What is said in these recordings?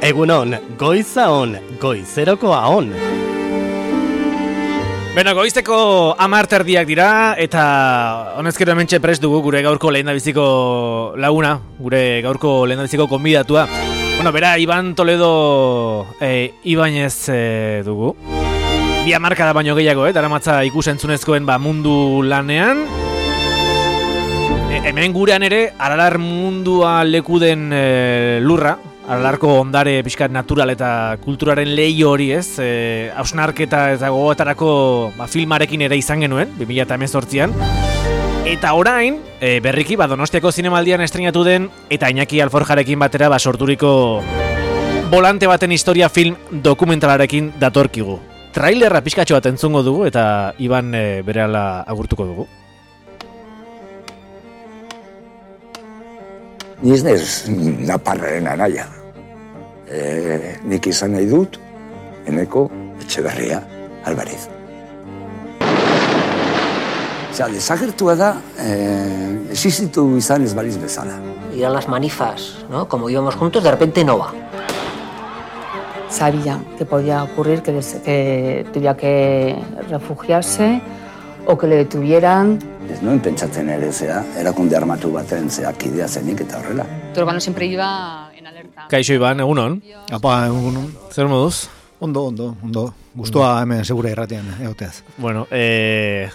Egunon, goiza on, goizerokoa on. Beno, goizteko 10:00 dira, eta honezkero hementxe prest dugu gure gaurko lehendabiziko laguna, gure gaurko lehendabiziko konbidatua. Bueno, bera, Iban Toledo Ibañez dugu. 2 hamarkada baino gehiago, daramatza ikusentzunezkoen mundu lanean. Hemen gurean ere, Aralar mundua lekuden lurra, Aralarko ondare pixkat natural eta kulturaren leio hori, ez? Hausnarketa eta gogoetarako filmarekin ere izan genuen, 2018an. Eta orain, berriki, Donostiako zinemaldian estrenatu den, eta Iñaki Alforjarekin batera sorturiko Volante baten historia film dokumentalarekin datorkigu. Trailerra pixkatxo bat entzungo dugu, eta Iban berehala agurtuko dugu. Ni ez naiz naparraren anaia. Nik izan nahi dut, Eneko Etxeberria Alvarez. Desagertua da, existitu izan ez baliz bezala. Ir a las manifas, ¿no? Como íbamos juntos, de repente no va. Sabía que podía ocurrir que tuviera que refugiarse o que le detuvieran. Ez nuen pentsatzen ere erakunde armatu baten kidea zenik eta horrela. Tu hermano siempre iba en alerta. Kaixo Iban, egunon? Apa, egunon. Zer moduz? Ondo. Gustua hemen segura irratian egoteaz. Bueno,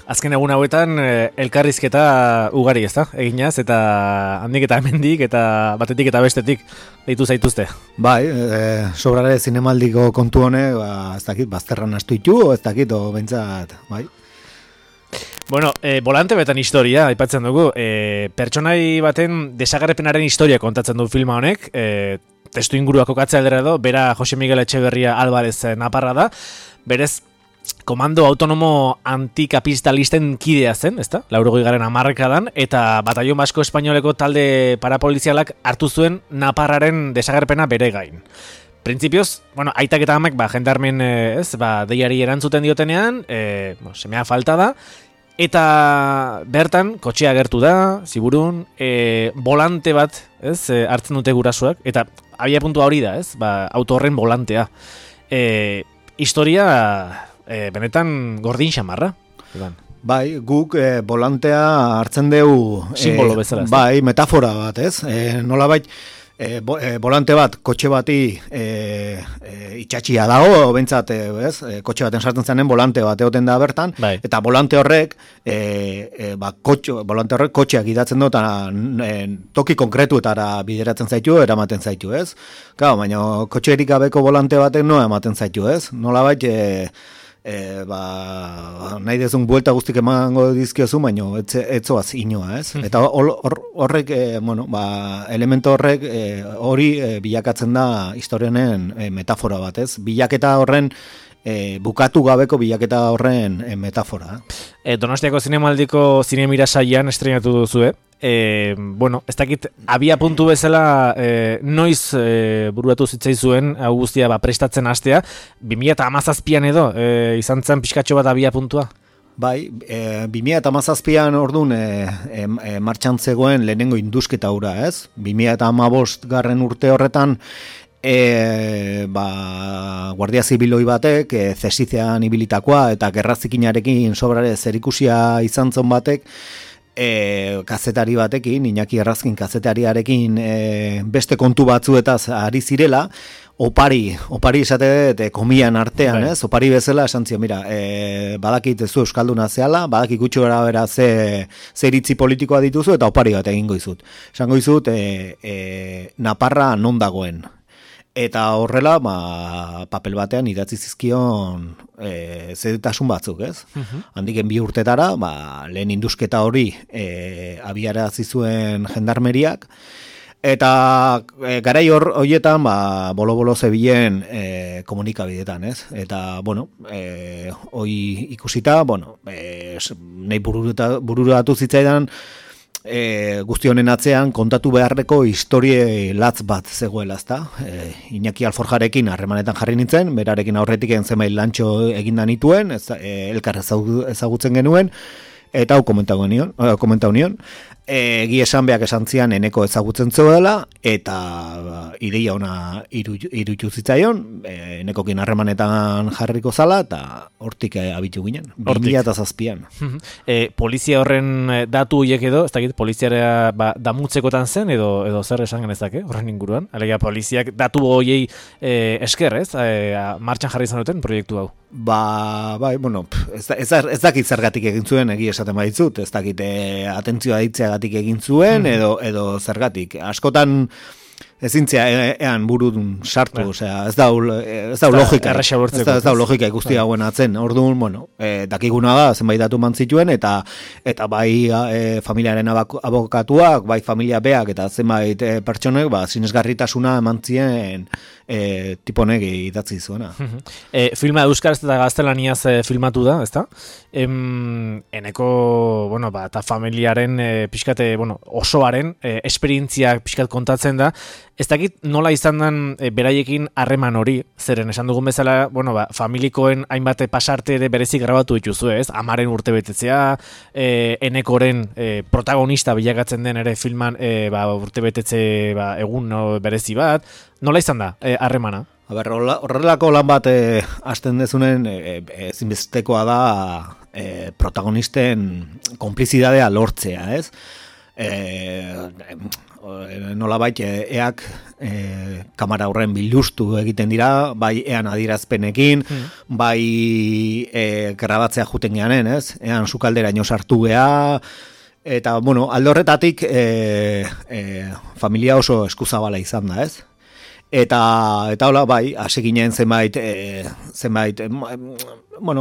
azken egun hauetan elkarrizketa ugari, ezta? Eginaz, eta handik eta hemendik, eta batetik eta bestetik deitu zaituzte. Bai, sobrare zinemaldiko kontu honek, ez dakit, bazterran astu itu, ez dakit, bentsat, bai. Bueno, Volante betan historia, aipatzen dugu. Pertsonai baten desagerpenaren historia kontatzen du filma honek. Testu ingurua kokatzea aldera edo, bera Jose Miguel Etxeberria Alvarez naparra da. Berez, komando autonomo antikapitalisten kidea zen, ezta? 80. hamarkadan, eta batallon basko espainoleko talde parapolizialak hartu zuen naparraren desagerpena bere gain. Printzipioz, aitak eta amak, jendarmen, deiari erantzuten diotenean, semea falta da, eta bertan, kotxea agertu da, ziburun, volante bat, hartzen dute gurasoak, eta abia puntua hori da, auto horren volantea. Historia, benetan gordin xamarra. Bai, guk volantea hartzen dugu... Simbolo bezala. Bai, metafora bat, nolabait, volante bat, kotxe bati itxatxia dago, bentsat, kotxe baten sartzen zanen volante bat egoten da bertan, bai. Eta volante horrek, kotxeak idatzen du, eta toki konkretuetara bideratzen zaitu, eramaten zaitu, ez? Claro, baina kotxerik gabeko volante batek no ematen zaitu, ez? Nolabait, nahi dezun buelta guztik emango dizkiozu, baina etzoaz inoa, ez? Eta horrek, elemento horrek hori bilakatzen da historianen metafora bat, ez? Bilaketa horren, bukatu gabeko bilaketa horren metafora. Donostiako zinemaldiko zinemira saian estrenatu duzu, ez dakit, abia puntu bezala noiz buruatu zitzaizuen hau guztia prestatzen hastea, 2017an edo izan zen pixkatxo bat abia puntua? Bai, 2017an orduan martxan zegoen lehenengo indusketa hura, ez? 2015 urte horretan Guardia Zibiloi batek, zesizean ibilitakoa eta gerrazikinarekin sobrare zerikusia izan zon batek, kazetari batekin, Iñaki Errazkin kazetariarekin beste kontu batzuetaz ari zirela, opari esate komian artean, ez? Opari bezala esan zion, mira, badakit zu euskalduna zehala, badakit gutxo gara bera ze iritzi politikoa dituzu, eta opari bat egingo izut. Esango izut, Naparra non dagoen. Eta horrela, papel batean idatzi zizkion zedetasun batzuk, ez? Handiken 2 urtetara, lehen indusketa hori abiarazi zuen jendarmeriak, eta garai horietan, bolo-bolo zebilen komunikabidetan, ez? Eta, hoi ikusita, nahi bururatu zitzaidan, guzti honen atzean kontatu beharreko historie latz bat zegoela, ezta? Iñaki Alforjarekin harremanetan jarri nintzen, berarekin aurretik zenbait lantxo eginda nituen, elkar ezagutzen genuen, eta hau komentau nion. Egi esan beak esan zian eneko ezagutzen dela eta ideia ona iruditu zitzaion, enekokin harremanetan jarriko zala eta hortik abitu ginen, 2007an. Polizia horren datu horiek edo, ez dakit, poliziara damutzekotan zen edo zer esan genezake horren inguruan? Alegia poliziak datu horiei esker, ez? Martxan jarri izan duten proiektu hau. Bai, bueno, ez dakit zergatik egin zuen, egia esaten baditzut, ez dakit atentzioa ditzeagatik egin zuen, edo zergatik. Askotan ezintzea ean burudun sartu, osea, ez da logika. Ez da logika ikusti hauen atzen. Orduan, bueno, dakiguna da, zenbait datu mantzituen, eta bai familiaren abokatuak, bai familia beak, eta zenbait pertsonek, sinesgarritasuna emantzien tiponek idatzi zuena. Filma euskaraz eta gaztelaniaz filmatu da, ezta? Eneko, eta familiaren pixkate, osoaren esperientziak pixkat kontatzen da. Ez dakit nola izan den beraiekin harreman hori, zeren esan dugun bezala, familikoen hainbat pasarte ere berezik grabatu dituzu, ez? Amaren urtebetetzea, enekoren protagonista bilakatzen den ere filman urtebetetze egun berezi bat. Nola izan da harremana? Horrelako lan bat hasten dezunen ezinbestekoa da protagonisten konplizidadea lortzea, ez? Nolabait eak kamera horren biluztu egiten dira, bai ean adierazpenekin, bai grabatzea juten geanen, ez? Ean sukalderaino sartu gea, eta, alde horretatik familia oso eskuzabala izan da, ez? Eta hola, bai, hasi ginen zenbait,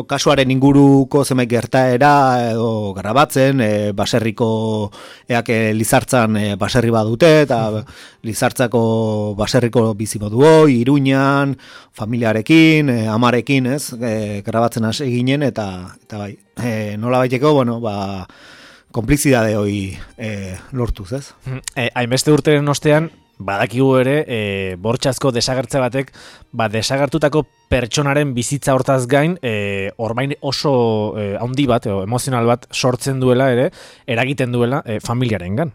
kasuaren inguruko zenbait gertaera edo grabatzen, baserriko eak Lizartzan baserri badute, eta Lizartzako baserriko bizimoduo, Iruñan, familiarekin, amarekin, ez, grabatzen hasi ginen, eta bai, nola baiteko, konplizidade hori lortuz, ez? Hainbeste urteren ostean, badakigu ere, bortxazko desagertze batek, desagertutako pertsonaren bizitza hortaz gain, orbain oso handi bat, emozional bat sortzen duela ere, eragiten duela familiarengan.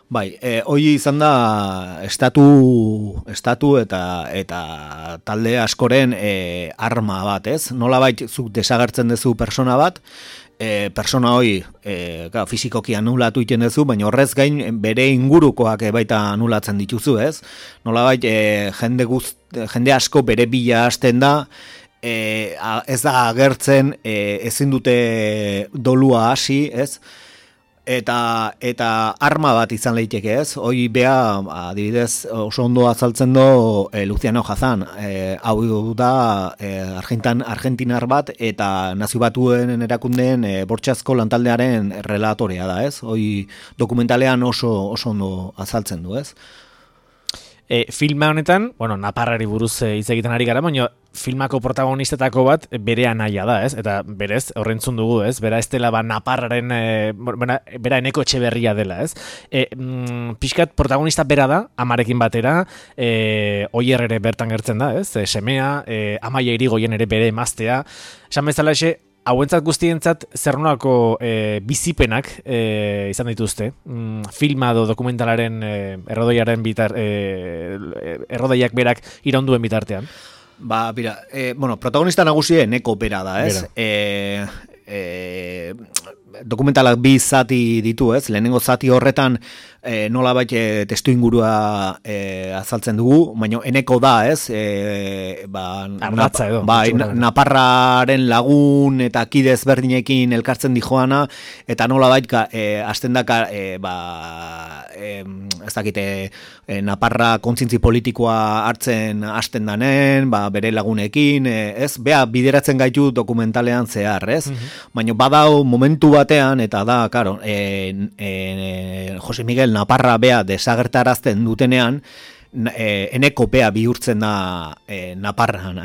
Bai, hori izan da estatu eta talde askoren arma bat, ez? Nolabait zuk desagertzen duzu persona bat, persona hori fizikoki anulatu iten duzu, baina horrez gain bere ingurukoak baita anulatzen dituzu, ez? Nolabait jende asko bere bila hasten da, ez da agertzen, ezin dute dolua hasi, ez? Eta arma bat izan leiteke, ez? Hoi bea, adibidez, oso ondo azaltzen do Luciano Hazan. Hau da argentinar bat eta nazio batuen erakundeen bortxazko lantaldearen relatorea da, ez? Hoi dokumentalean oso ondo azaltzen du, ez? Filma honetan, naparrari buruz hitz egiten ari gara, baina filmako protagonistetako bat bere anaia da, ez? Eta berez, horrentzun dugu, ez? Bera ez dela naparraren, bera Eneko Etxeberria dela, ez? Pixkat protagonista bera da, amarekin batera, Oier ere bertan gertzen da, ez? Semea, Amaia Irigoyen ere bere emaztea. Esan bezala hauentzat guztientzat zer nolako bizipenak izan dituzte, filma edo dokumentalaren errodoiaren errodaiak berak iraunduen bitartean? Protagonista nagusia Eneko bera da, ez? Dokumentalak bi zati ditu, ez? Lehenengo zati horretan nolabait testu ingurua azaltzen dugu, baina Eneko da, ez? Ardatza edo. Naparraren lagun eta kide ezberdinekin elkartzen dijoana, eta nolabait hasten daka ez dakite Naparra kontzintzi politikoa hartzen hasten danen, bere lagunekin, ez? Bea bideratzen gaitu dokumentalean zehar, ez? Baina badau momentu batean, eta da, Jose Miguel Naparra bea desagertarazten dutenean, eneko bea bihurtzen da Naparran,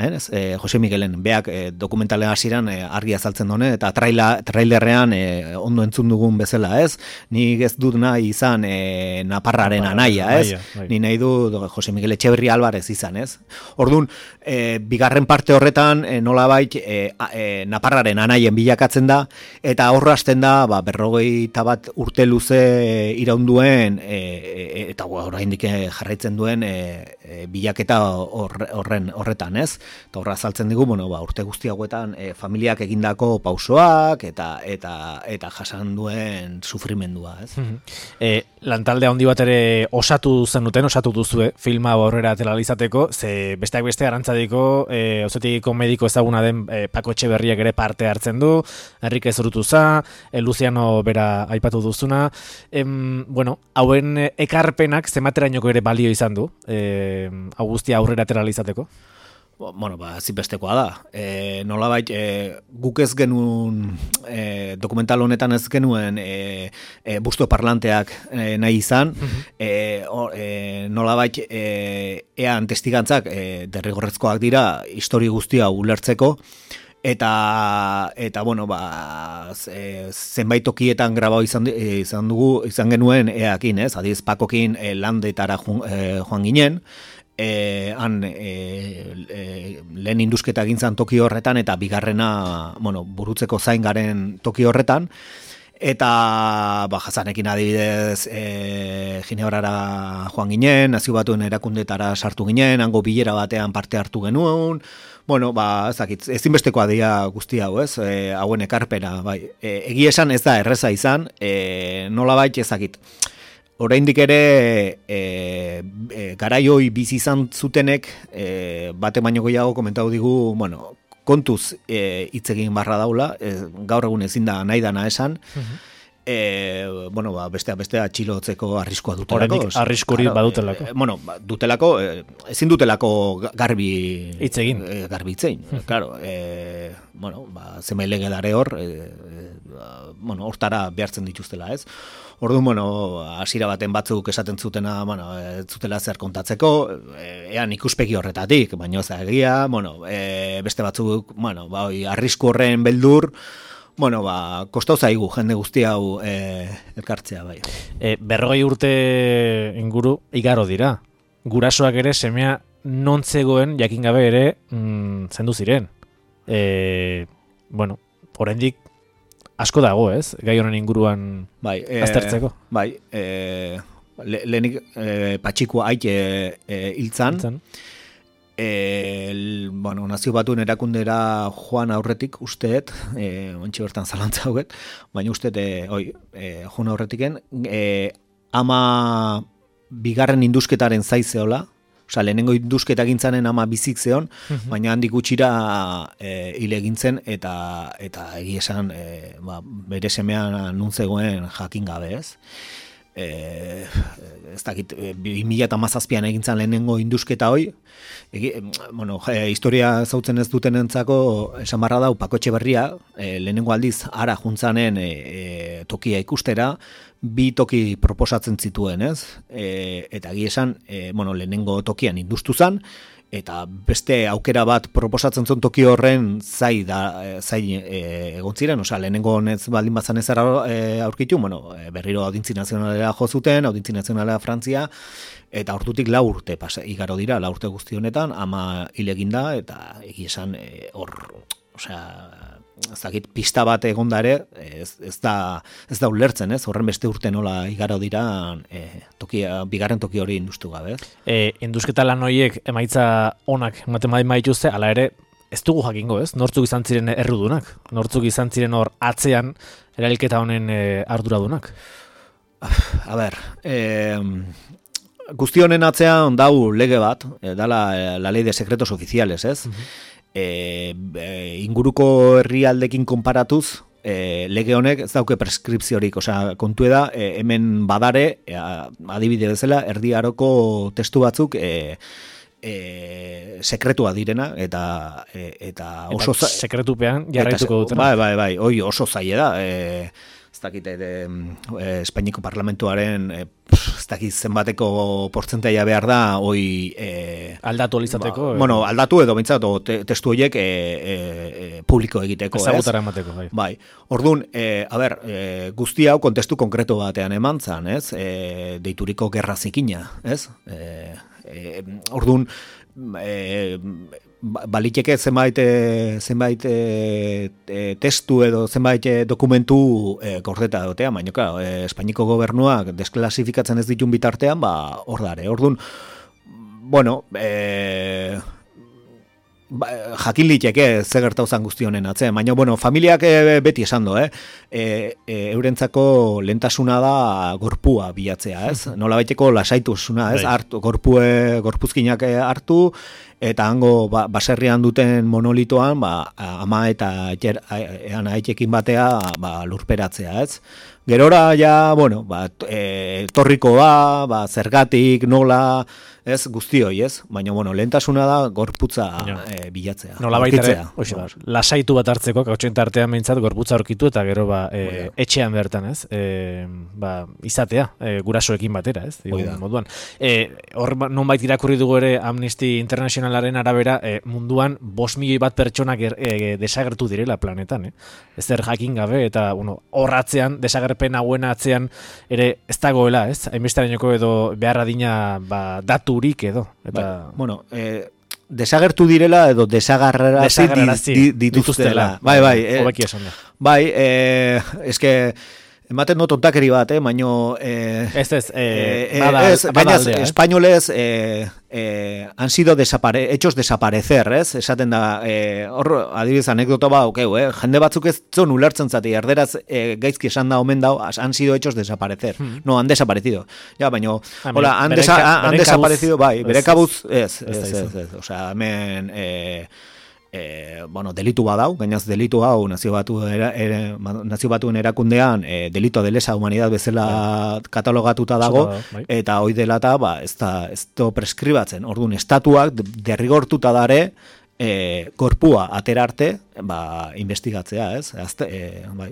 Jose Miguelen beak dokumentalen hasieran argi azaltzen done, eta trailerrean ondo entzun dugun bezala, ez? Nik ez dut nahi izan Naparraren anaia, ez? Ni nahi du Jose Miguel Etxeberria Alvarez izan, ez? Orduan, bigarren parte horretan nolabait Naparraren anaien bilakatzen da, eta horra hasten da 51 urte luze iraunduen eta oraindik jarraitzen duen bilaketa horretan, ez? Eta horra azaltzen digu, urte guzti hauetan familiak egindako pausoak eta jasan duen sufrimendua, ez? Lantalde handi bat ere osatu duzue filma aurrera atera izateko, ze besteak beste Arantzadiko auzotegiko mediko ezaguna den Pako Etxeberriak ere parte hartzen du, Enrique Zurutuza, Luciano bera aipatu duzuna. Hauen ekarpenak zematerainoko ere balio izan du, hau guztia aurrera atera izateko? Zinbestekoa da. Nolabait, guk ez genuen, dokumental honetan ez genuen busto parlanteak nahi izan, nolabait, ean testigantzak derrigorrezkoak dira histori guztia ulertzeko, eta zenbait tokietan grabau izan genuen eakin, ez? Adiz Pakokin landetara joan ginen, han lehen indusketa gintzan toki horretan eta bigarrena burutzeko zain garen toki horretan, eta Jasanekin adibidez Ginebrara joan ginen, Nazio Batuen erakundetara sartu ginen, hango bilera batean parte hartu genuen, ezinbestekoa dira guzti hau, ez? Hauen ekarpena, bai. Egia esan ez da erreza izan, nolabait ezakit. Oraindik ere garaioi bizi izan zutenek bate baino gehiago komentatu digu, kontuz hitz egin barra daula, gaur egun ezin da nahi dana esan. Bestea atxilotzeko arriskoa dutelako. Oraindik arriskurik badutelako. Dutelako, ezin dutelako garbi hitz egin. Claro, zemai legedare hor, hortara behartzen dituztela, ez? Orduan, hasiera baten batzuk esaten zutena, ez zutela zer kontatzeko, ean ikuspegi horretatik, baina ez da egia, beste batzuk, arrisku horren beldur, kostau zaigu jende guzti hau elkartzea, bai. 40 urte inguru igaro dira. Gurasoak ere semea non zegoen jakin gabe ere zendu ziren. Oraindik asko dago, ez? Gai honen inguruan aztertzeko. Lehenik Patxikoa aite hiltzan. Nazio Batuen erakundera joan aurretik usteet, ontsi bertan zalantza hauet, baina usteet joan aurretiken, ama bigarren indusketaren zaizeola, lehenengo indusketa gintzanen ama bizik zeon, baina handik gutxira hile gintzen eta egia esan bere semean nuntzegoen jakin gabe, ez? Ez dakit, 2017an egintzan lehenengo indusketa hoi, historia zautzen ez dutenentzako esan barra dau Pako Etxeberria, lehenengo aldiz ara juntzanen tokia ikustera, 2 toki proposatzen zituen, ez? Eta egia esan, lehenengo tokian industu zan, eta beste aukera bat proposatzen zuen toki horren zain egon ziren, lehenengo honez baldin bazan ez aurkitu, berriro Audientzi Nazionalera jo zuten, Audientzi Nazionalera Frantzia, eta hortutik 4 urte igaro dira, 4 urte guzti honetan, ama hil eginda, eta egia esan ez dakit pista bat egonda ere, ez da ulertzen, ez? Horren beste urte nola igaro dira bigarren toki hori industu gabe. Indusketa lan horiek emaitza onak ematen badituzte, hala ere ez dugu jakingo, ez? Nortzuk izan ziren errudunak, nortzuk izan ziren hor atzean erailketa honen arduradunak. A ber, guzti honen atzean dau lege bat, dala la ley de secretos oficiales, ez? Inguruko herrialdekin konparatuz, lege honek ez dauke preskripziorik, kontu da, hemen badare, adibide bezala, Erdi Aroko testu batzuk sekretua direna, eta oso sekretupean jarraituko dutena. Bai, hoi oso zaila da, ez dakit, Espainiako parlamentuaren ez dakiz zenbateko portzentaia behar da, hoi... aldatu alizateko. Bueno, aldatu edo bintzat, testu horiek publiko egiteko, ezagutara emateko, bai. Bai, orduan, guzti hau kontestu konkreto batean eman zan, ez? Deituriko gerra zikina, ez? Orduan, baliteke zenbait testu edo zenbait dokumentu gordeta dotea, baina claro, Espainiko gobernuak desklasifikatzen ez ditun bitartean, hor dare. Orduan, bueno, jakin liteke ze gertauzan guztionen atzen, baina bueno, familiak beti esan do, eurentzako lehentasuna da gorpua bilatzea, ez? Nolabaiteko lasaitusuna, ez? Hartu, gorpuzkinak hartu, eta hango baserrian duten monolitoan, ama eta aitekin batea lurperatzea, ez? Gerora ja, bueno, torrikoa, zergatik, nola, ez, guztioi, ez? Baina, bueno, lehentasuna da gorputza bilatzea. Nola baitare, lasaitu bat hartzeko, kautxen tartean behintzat, gorputza aurkitu eta gero etxean bertan, ez? Izatea, gurasoekin batera, ez? Moduan. Hor, nonbait irakurri dugu ere Amnesty Internationalaren arabera, munduan 5 milioi bat pertsonak desagertu direla planetan, ezer jakin gabe, eta, bueno, horratzean, desagerpen hauen atzean ere ez dagoela, ez? Hainbesterainoko edo behar adina daturik edo. Eta... Bueno, desagertu direla edo desagarrarazi dituztela. Bai. Hobeki esan da. Bai, eske... Ematen dut ontakeri bat, baino... espainolez han sido hechos desaparecer, ez? Esaten da, hor, adibidez, anekdota jende batzuk ez zon ulertzen zati, erderaz gaizki esan da omen dau, han sido hechos desaparecer. No, han desaparecido. Ja, baino, hola, han desaparecido, bai, bere kabuz, ez. Osea, hemen... bueno, delitu badau, gainaz delitu hau nazio batuen erakundean delito de lesa humanidad bezala katalogatuta dago, eta hoi delata ez da preskribatzen. Orduan, estatuak derrigortuta dare korpua aterarte investigatzea, ez? Bai.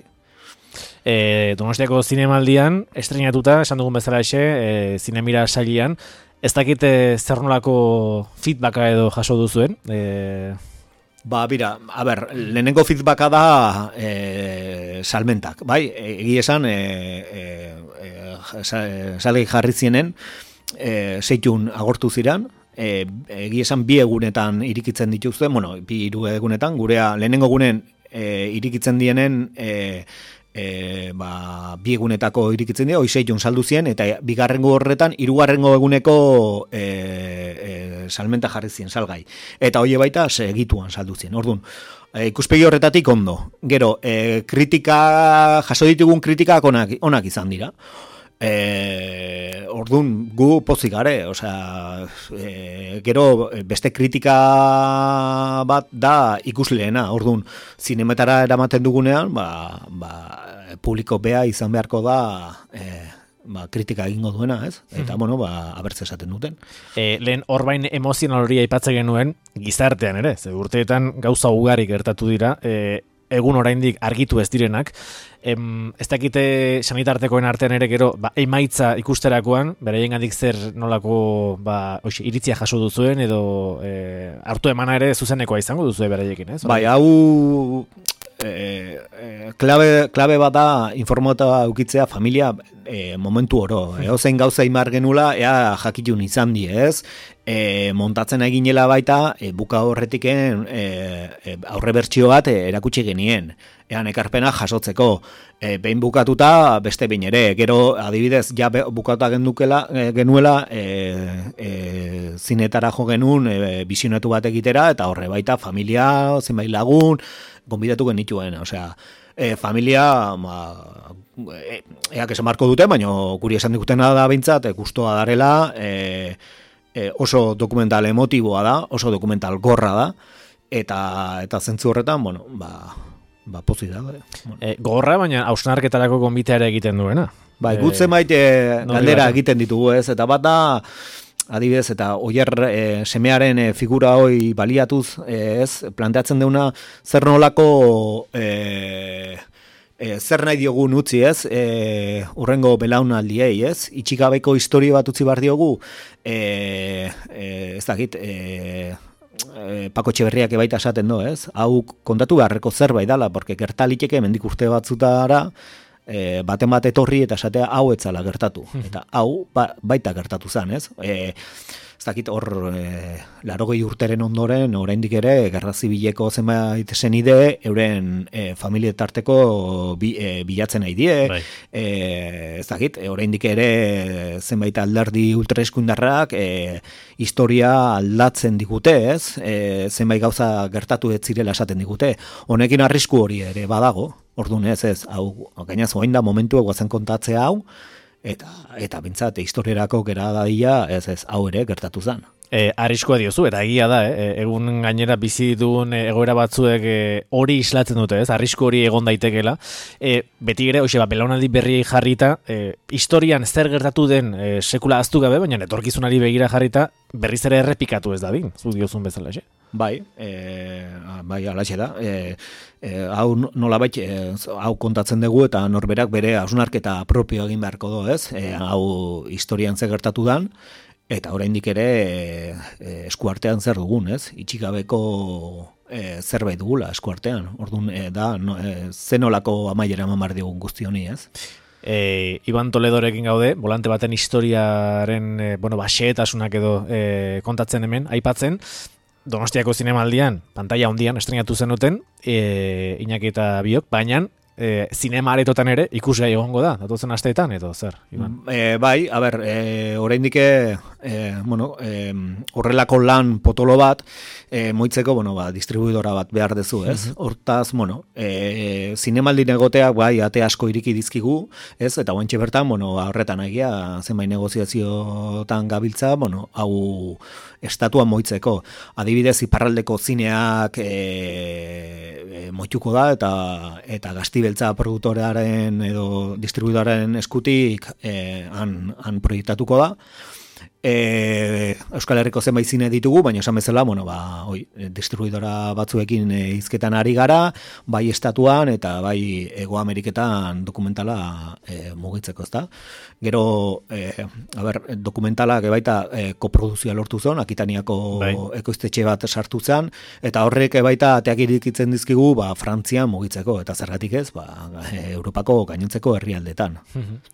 Donostiako zinemaldian estrenatuta, esan dugun bezala zinemira sailean, ez dakit zer nolako feedbacka edo jaso duzuen? Bira, lehenengo feedbacka da salmentak, bai? Egi esan, salgai jarri zienen, 6 agortu ziren, egi esan 2 egunetan irikitzen dituzte, 2 egunetan, gurea lehenengo egunen irikitzen dienen, 2 egunetako irikitzen dira, 6 saldu zien, eta bigarrengo horretan, 3. eguneko salmenta jarri zien salgai. Eta hoi baita segituan saldu zien. Orduan, ikuspegi horretatik ondo. Gero, jaso ditugun kritikak onak izan dira. Orduan, gu pozik gare, gero beste kritika bat da ikusleena. Orduan, zinemetara eramaten dugunean, publiko bea izan beharko da kritika egingo duena, ez? Eta, abertze esaten duten. Lehen horbain emozional hori aipatzen genuen, gizartean ere, urteetan gauza ugari gertatu dira, egun oraindik argitu ez direnak, ez dakite sanitartekoen artean ere gero, emaitza ikusterakoan, beraiengandik zer nolako iritzia jaso duzuen, edo hartu emana ere zuzenekoa izango duzue beraiekin, ez? Bai, hau... klabe bat da informata ukitzea familia momentu oro. Ozein gauza imar genula, ea jakitun izan di, ez? Montatzen eginela baita, buka horretiken aurre bertsio bat erakutsi genien. Ean ekarpena jasotzeko. Behin bukatuta, beste behin ere. Gero, adibidez, ja bukatuta genuela zinetara jo genuen bisionatu bat egitera, eta horre baita familia, zenbait lagun, gonbidatu genituen, familia eak esan marko dute, baina guri esan dikutena da bintzat, gustoa darela, oso dokumental emotiboa da, oso dokumental gorra da, eta zentzu horretan, pozik da. Gorra, baina hausnarketarako gonbitea ere egiten duena. Gutzen galdera egiten ditugu, ez, eta bat da, adibidez, eta Oier semearen figura hoi baliatuz, ez, planteatzen deuna zer nolako zer nahi diogun utzi ez, urrengo belaunaldiei ez, itxikabeko historia bat utzi behar diogu, ez dakit, Pako Etxeberriak ebaita esaten do, ez? Hau kontatu beharreko zerbait dala, porque gertaliteke mendik urte batzutara, baten bat etorri eta esatea hau etzala gertatu. Eta hau baita gertatu zen, ez? Ez dakit hor 80 urteren ondoren, oraindik ere, Gerra Zibileko zenbait senide, euren familietarteko bilatzen nahi die, ez dakit, oraindik ere zenbait alderdi ultraeskundarrak historia aldatzen digute, ez? Zenbait gauza gertatu ez zirela esaten digute. Honekin arrisku hori ere badago, orduan ez, hau, gainaz orain da momentu eguazen kontatzea hau, eta bintzat, historierako gera dadila, ez, hau ere gertatu zen. Arriskoa diozu, eta egia da, egun gainera bizi duen egoera batzuek hori islatzen dute, ez? Arrisku hori egon daitekela. Beti ere, belaunaldi berriei jarrita, historian zer gertatu den sekula aztu gabe, baina etorkizunari begira jarrita, berriz ere errepikatu ez dadin, zu diozun bezala, xe? Bai, alaxe da. Hau nolabait, hau kontatzen dugu eta norberak bere hausnarketa propio egin beharko do, ez? Hau historian zer gertatu dan, eta oraindik ere eskuartean zer dugun, ez? Itxikabeko zerbait dugula eskuartean. Orduan, zenolako amaiera eman behar digun guzti honi, ez? Iban Toledorekin gaude, volante baten historiaren xehetasunak edo kontatzen hemen, aipatzen, Donostiako zinemaldian, pantalla handian estrenatu zenuten, Iñaki eta biok, baina zinema aretotan ere ikusgai egongo da, datozen asteetan, edo zer? Bai, a ber, oraindik horrelako lan potolo bat, moitzeko, distribuidora bat behar dezu, ez? Hortaz, zinemaldin egoteak, bai, ate asko iriki dizkigu, ez? Eta guantxe bertan, horretan egia, zenbait negoziaziotan gabiltza, hau estatuan moitzeko. Adibidez, iparraldeko zineak moituko da, eta Gaztibeltza produktorearen edo distribuidoraren eskutik han proiektatuko da. Euskal Herriko zenbait zine ditugu, baina esan bezala, distribuidora batzuekin hizketan ari gara, bai estatuan eta bai Hego Ameriketan dokumentala mugitzeko, ezta? Gero, dokumentalak baita koproduzioa lortu zen, Akitaniako ekoiztetxe bat sartu zen, eta horrek baita ateak irikitzen dizkigu, Frantzian mugitzeko, eta zergatik ez, Europako gainontzeko herrialdetan.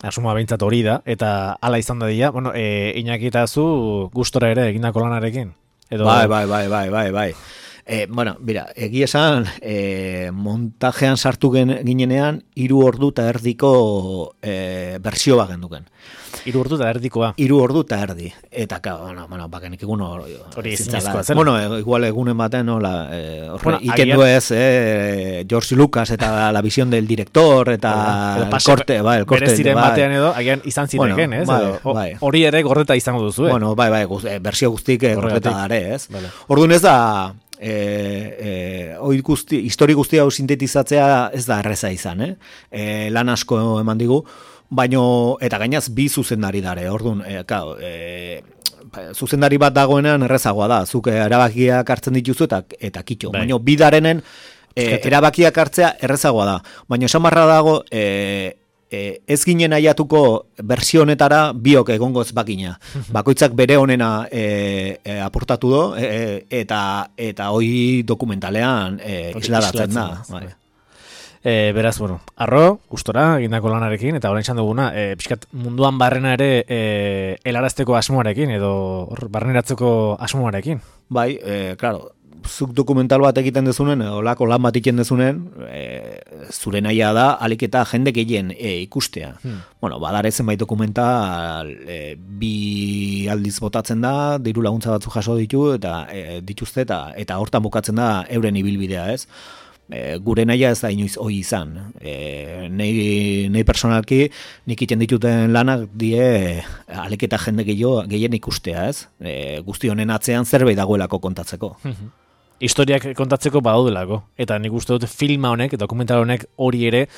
Asuma behintzat hori da, eta hala izan da dira, Iñaki eta zu gustora ere egindako lanarekin? Bai. Bira, egia esan, montajean sartu ginenean, 3 ordu eta erdiko bersio bat genduken. 3 ordu eta erdikoa? 3 ordu eta erdi. Eta, bakenik egun hori ezinezkoa zen. Igual egunen baten, ikendu ez, George Lucas eta la visión del director, eta el corte. Bere ziren batean edo, agian izan zireken, ez? Hori ere gordeta izango duzu, bersio guztik gordeta dare, ez? Orduan ez da, histori guzti hau sintetizatzea ez da erreza izan, lan asko eman digu, eta gainaz bi zuzendari dare, orduan, zuzendari bat dagoenean errezagoa da, zuk erabakiak hartzen dituzu eta kitxo, baina bi darenen erabakiak hartzea errezagoa da, baina esan barra dago, ez ginen aiatuko bersio honetara biok egongo ez bakina. Bakoitzak bere honena aportatu do, eta hoi dokumentalean isladatzen da. Beraz, arro, gustora, egindako lanarekin, eta orain duguna, pixkat munduan barrena ere helarazteko asmoarekin, edo barreneratzeko asmoarekin. Bai, claro, zuk dokumental bat egiten dezunen, olako lan bat egiten dezunen, zure nahia da, alik eta jende gehien ikustea. Badare zenbait dokumental, 2 aldiz botatzen da, diru laguntza batzu jaso dituzte, eta hortan bukatzen da euren ibilbidea, ez? Gure nahia ez da inoiz hoi izan. Nei personalki, nik iten dituten lanak die alik eta jende gehien ikustea, ez? Guzti honen atzean zerbait dagoelako kontatzeko. Historiak kontatzeko badaudelako, eta nik uste dut filma honek, dokumental honek hori ere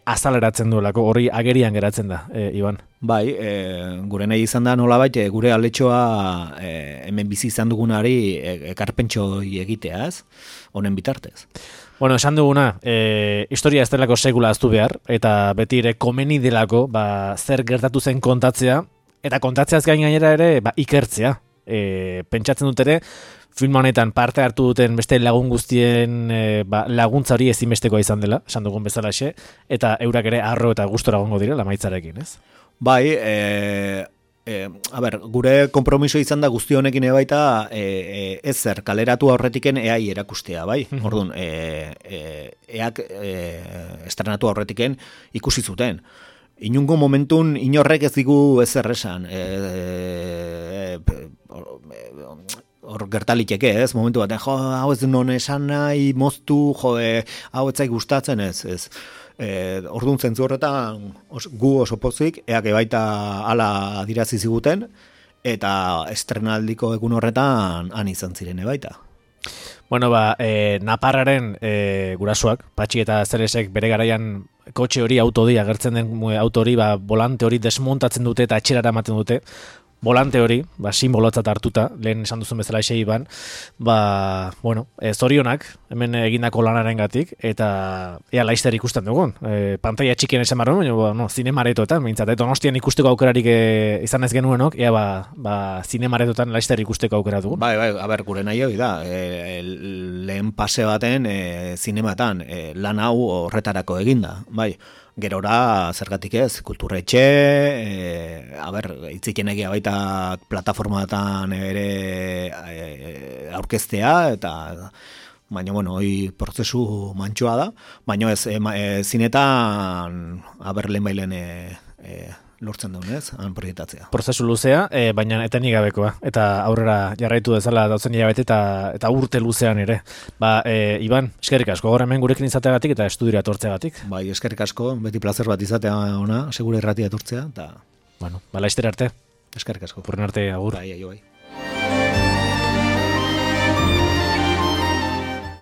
azaleratzen duelako, hori agerian geratzen da, Iban. Bai, gure nahi izan da nolabait, gure aletxoa hemen bizi izan dugunari ekarpentxo egitea, ez? Honen bitartez. Bueno, esan duguna, historia ez delako sekula aztu behar, eta beti ere komeni delako, zer gertatu zen kontatzea, eta kontatzeaz gainera ere, ikertzea. Pentsatzen dut ere, film honetan parte hartu duten beste lagun guztien laguntza hori ezinbestekoa izan dela, esan dugun bezalaxe, eta eurak ere arro eta gustora egongo direla maitzarekin, ez? Bai, gure konpromiso izan da guzti honekin baita ez zer, kaleratu aurretiken eai erakustea, bai? Orduan, eak estrenatu aurretiken ikusi zuten. Inungo momentun inorrek ez digu ezer esan. Hor gertaliteke, ez? Momentu baten, hau ez non esan nahi, moztu, hau ez zaik gustatzen, ez. Orduan zentzu horretan gu oso pozik, eak baita ala adirazi ziguten, eta estrenaldiko egun horretan han izan ziren baita. Bueno, Naparraren gurasoak, Patxi eta Zeresek bere garaian kotxe hori autodi, agertzen den auto hori, volante hori desmontatzen dute eta etxerara ematen dute. Volante hori, simbolotzat hartuta, lehen esan duzun bezala esei zorionak, hemen egindako lanaren gatik, eta ea laizter ikusten dugun. Pantaia txikien esan barren, baina zinemaretoetan, mintzat, Donostian ikusteko aukerarik izan ez genuenok, ea zinemaretoetan laizter ikusteko aukera dugun. Bai, gure nahi hori da, lehen pase baten zinematan, lan hau horretarako eginda, bai. Gerora, zergatik ez, kulturretxe, itziken egia baita plataformatan ere aurkeztea, eta baina, hoi prozesu mantxoa da, baina ez, zinetan, lehen lortzen duen, ez, han proiektatzea. Prozesu luzea, baina etenik gabekoa, eta aurrera jarraitu dezala dautzen hilabete eta urte luzean ere. Iban, eskerrik asko, gaur hemen gurekin izateagatik eta estudiora etortzeagatik. Bai, eskerrik asko, beti plazer bat izatea ona, segure erratia etortzea, eta... Bueno, laizter arte. Eskerrik asko. Purren arte, agur. Bai, bai.